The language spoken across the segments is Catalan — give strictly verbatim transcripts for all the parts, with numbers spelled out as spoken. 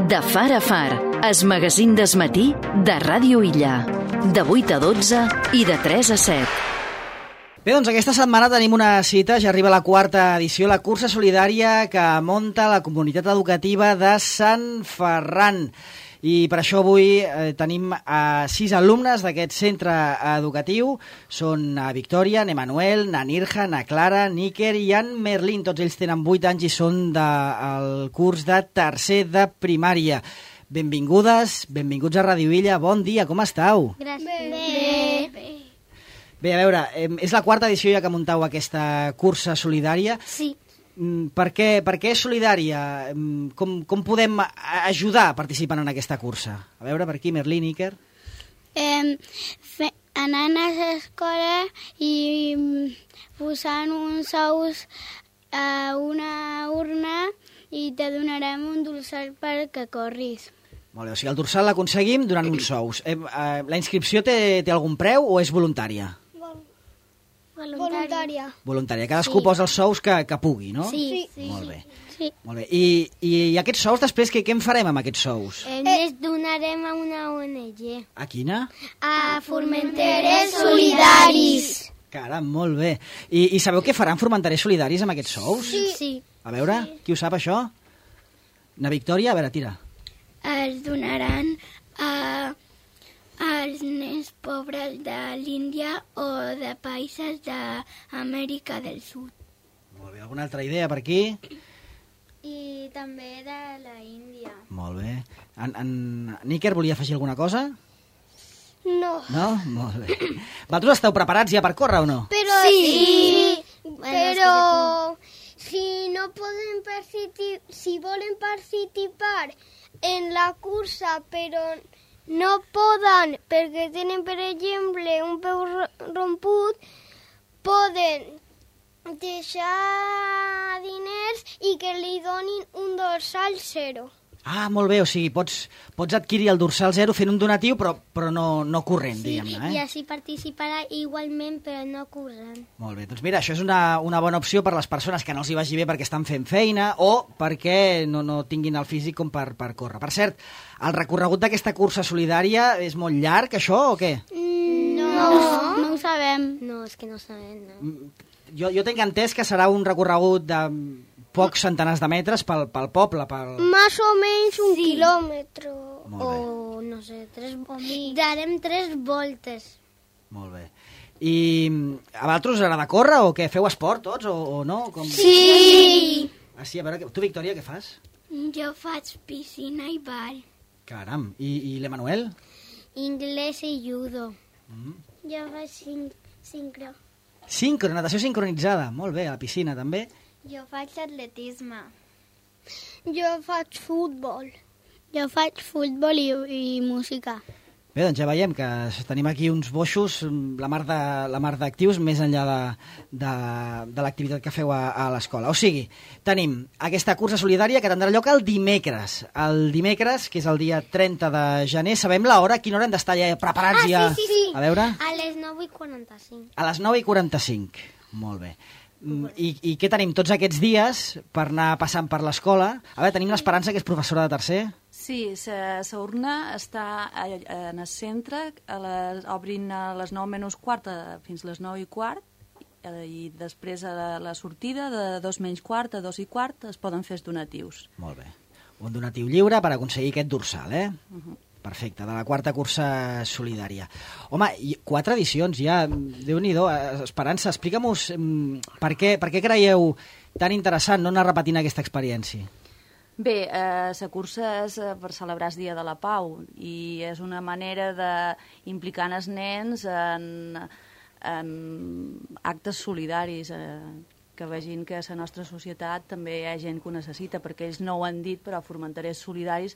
De far a far, es magazín d'esmatí de Ràdio Illa. De vuit a dotze i de tres a set. Bé, doncs aquesta setmana tenim una cita, ja arriba la quarta edició, la cursa solidària que munta la comunitat educativa de Sant Ferran. I per això avui eh, tenim a sis alumnes d'aquest centre educatiu. Són na Victòria, na Emanuel, na Nirja, na Clara, Níker i en Merlín. Tots ells tenen vuit anys i són del curs de tercer de primària. Benvingudes, benvinguts a Ràdio Illa. Bon dia, com estàu? Gràcies. Bé. Bé. Bé, a veure, eh, és la quarta edició ja que muntau aquesta cursa solidària. Sí. Per què, per què és solidària? Com, com podem ajudar participant en aquesta cursa? A veure, per aquí, Merlín, Níker. Eh, fe, anant a l'escola i posant uns ous a una urna i te donarem un dorsal perquè corris. Molt bé, o sigui, el dorsal l'aconseguim donant uns ous. Eh, eh, la inscripció té, té algun preu o és voluntària? Voluntària. Voluntària. Cadascú Sí. posa els sous que, que pugui, no? Sí. Sí. Molt bé. Sí. Molt bé. I, i, i aquests sous, després, què, què en farem amb aquests sous? Eh, les donarem a una O N G. A quina? A Formenteres Solidaris. Caram, molt bé. I, i sabeu què faran Formenterers Solidaris amb aquests sous? Sí. sí. A veure, qui ho sap, això? Na Victòria? A veure, tira. Els donaran a als nens pobres de l'Índia o de països d'Amèrica del Sud. Molt bé. Alguna altra idea per aquí? I també de la Índia. Molt bé. En, en Níker volia afegir alguna cosa? No. No? Molt bé. Vosaltres esteu preparats ja per córrer o no? Però Sí. sí, Bueno, però si no poden participar, si volen participar en la cursa, però no poden perquè tenen, per exemple, un peu romput, poden deixar diners i que li donin un dorsal zero. Ah, molt bé, o sigui, pots, pots adquirir el dorsal zero fent un donatiu, però, però no, no corrent, diguem-ne, eh? I així participarà igualment, però no corrent. Molt bé, doncs mira, això és una, una bona opció per les persones que no els hi vagi bé perquè estan fent feina o perquè no, no tinguin el físic com per, per córrer. Per cert, el recorregut d'aquesta cursa solidària és molt llarg, això, o què? No, no, no ho sabem. No, és que no sabem, no? Jo, jo tinc entès que serà un recorregut de pocs centenars de metres pel, pel poble, pel... Más o menys un Sí. quilòmetre. Molt bé, O, no sé, tres... Darem tres voltes. molt bé. I a vosaltres us agrada córrer o què? Feu esport tots o, o no? Com... Sí. Ah, sí, a veure, tu, Victòria, què fas? Jo faig piscina i ball. Caram, i, i l'Emanuel? Inglès i judo. Mm. Jo faig sin sincro. Sincro, natació sincronitzada. Molt bé, a la piscina també. Jo faig atletisme. Jo faig futbol. Jo faig futbol i, i música. Bé, doncs ja veiem que tenim aquí uns boixos, la mar de, la mar d'actius, més enllà de, de, de l'activitat que feu a, a l'escola. O sigui, tenim aquesta cursa solidària que tindrà lloc el dimecres. El dimecres, que és el dia trenta de gener, sabem l'hora, a quina hora hem d'estar ja preparats Ah, ja? sí, sí, sí. A veure? A les nou i quaranta-cinc. A les nou i quaranta-cinc. Molt bé. Mm, I, I què tenim tots aquests dies per anar passant per l'escola? A veure, tenim l'Esperança, que és professora de tercer. Sí, sa, sa urna està a, a, en el centre, a les, obrin a les nou menys quart a, fins a les nou i quart, eh, i després a la, la sortida de dos menys quart a dos i quart es poden fer els donatius. Molt bé. Un donatiu lliure per aconseguir aquest dorsal, eh? Uh -huh. Perfecte, de la quarta cursa solidària. Home, i quatre edicions ja, Déu-n'hi-do. Esperança, explica'm-nos per, què, per què creieu tan interessant no anar repetint aquesta experiència? Bé, eh, la cursa és eh, per celebrar el Dia de la Pau i és una manera d'implicar els nens en, en actes solidaris, eh, que vegin que a la nostra societat també hi ha gent que ho necessita, perquè ells no ho han dit, però Formenterers Solidaris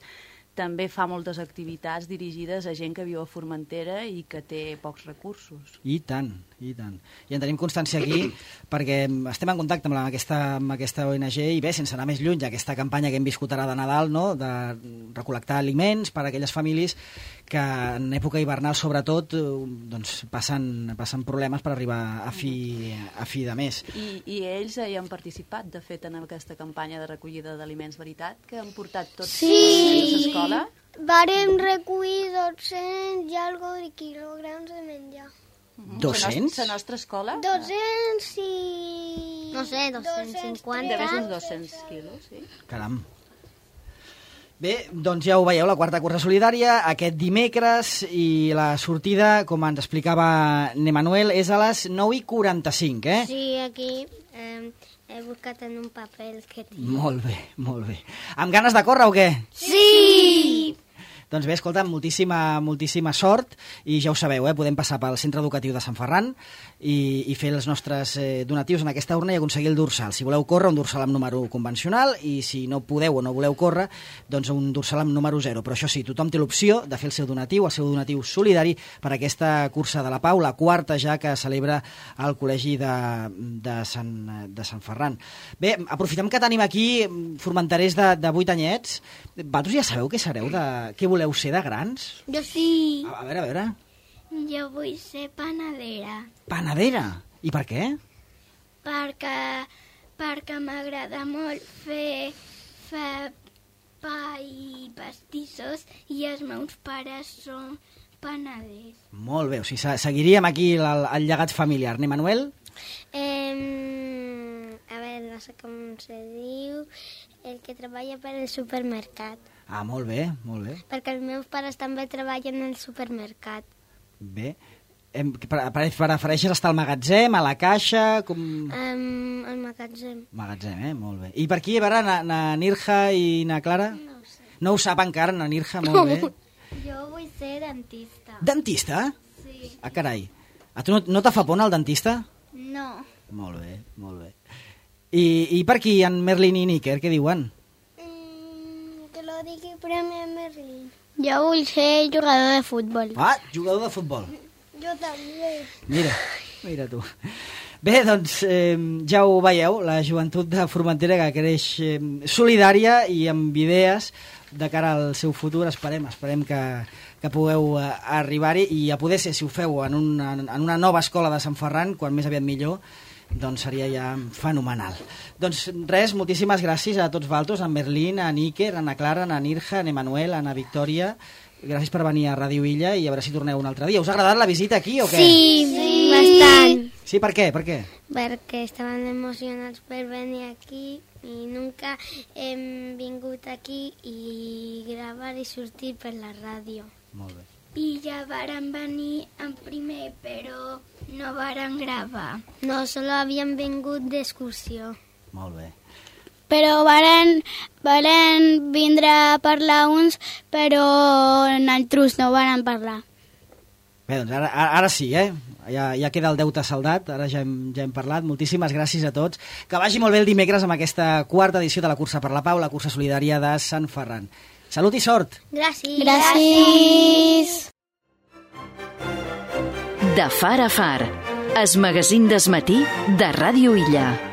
també fa moltes activitats dirigides a gent que viu a Formentera i que té pocs recursos. I tant, I tant. I en tenim constància aquí perquè estem en contacte amb aquesta, amb aquesta O N G i bé, sense anar més lluny, aquesta campanya que hem viscut ara de Nadal, no?, de recol·lectar aliments per a aquelles famílies que en època hivernal, sobretot, doncs, passen, passen problemes per arribar a fi, a fi de mes. I, I ells hi han participat, de fet, en aquesta campanya de recollida d'aliments, veritat? Que han portat tots sí. a l'escola? Vàrem recollir dos-cents i algo de quilograms de menjar. dos-cents? La nostra escola? dos-cents i... No sé, dos-cents cinquanta. Deve ser uns dos-cents quilos, sí. Caram. Bé, doncs ja ho veieu, la quarta cursa solidària, aquest dimecres, i la sortida, com ens explicava Nemanuel, és a les nou i quaranta-cinc, eh? Sí, aquí eh, he buscat en un paper que tinc. Molt bé, molt bé. Amb ganes de córrer o què? Sí! Doncs bé, escolta, moltíssima, moltíssima sort, i ja ho sabeu, eh? Podem passar pel Centre Educatiu de Sant Ferran i, i fer els nostres eh, donatius en aquesta urna i aconseguir el dorsal. Si voleu córrer, un dorsal amb número convencional, i si no podeu o no voleu córrer, doncs un dorsal amb número zero. Però això sí, tothom té l'opció de fer el seu donatiu, el seu donatiu solidari per aquesta cursa de la Pau, la quarta ja que celebra el Col·legi de, de, Sant, de Sant Ferran. Bé, aprofitem que tenim aquí formenterers de, de vuit anyets. Vosaltres ja sabeu què sereu, de, què voleu ser de grans? Jo sí. A, a veure, a veure. Jo vull ser panadera. Panadera? I per què? Perquè, perquè m'agrada molt fer, fer pa i pastissos i els meus pares són panaders. Molt bé, o sigui, seguiríem aquí el, el llegat familiar. Ne, Manuel? Eh, a veure, no sé com se diu, el que treballa per al supermercat. Ah, molt bé, molt bé. Perquè els meus pares també treballen al supermercat. Bé. Em, prefereixes estar al magatzem, a la caixa? Com... Um, al magatzem. Magatzem, eh? Molt bé. I per aquí, a veure, na, na Nirja i na Clara? No ho sé. No ho sap encara, na Nirja, molt bé. Jo vull ser dentista. Dentista? Sí. Ah, carai. A tu no, no te fa por anar al dentista? No. Molt bé, molt bé. I, i per aquí, en Merlin i Níker, què diuen? Que lo digui primer Merlin. Jo vull ser jugador de futbol. Ah, jugador de futbol. Jo també. Mira, mira tu. Bé, doncs eh, ja ho veieu, la joventut de Formentera que creix eh, solidària i amb idees de cara al seu futur. Esperem, esperem que, que pugueu eh, arribar-hi i a poder ser, si ho feu en una, en una nova escola de Sant Ferran, quan més aviat millor, doncs seria ja fenomenal. Doncs res, moltíssimes gràcies a tots vosaltres, a Merlin, a Níker, a na Clara, a Nirja, a Nemanuel, a na Victòria. Gràcies per venir a Ràdio Illa i a veure si torneu un altre dia. Us ha agradat la visita aquí o què? Sí, sí, bastant. Sí, per què? Per què? Perquè estaven emocionats per venir aquí i nunca hem vingut aquí i gravar i sortir per la ràdio. Molt bé. I ja varen venir en primer, però no varen gravar. No, solo havien vingut d'excursió. Molt bé. Però varen, varen vindre a parlar uns, però nosaltres no varen parlar. Bé, doncs ara, ara sí, eh? Ja, ja queda el deute saldat, ara ja hem, ja hem parlat. Moltíssimes gràcies a tots. Que vagi molt bé el dimecres amb aquesta quarta edició de la Cursa per la Pau, la cursa solidària de Sant Ferran. Salut i sort! Gràcies! Gràcies! De far a far, es magazín d'esmatí de Ràdio Illa.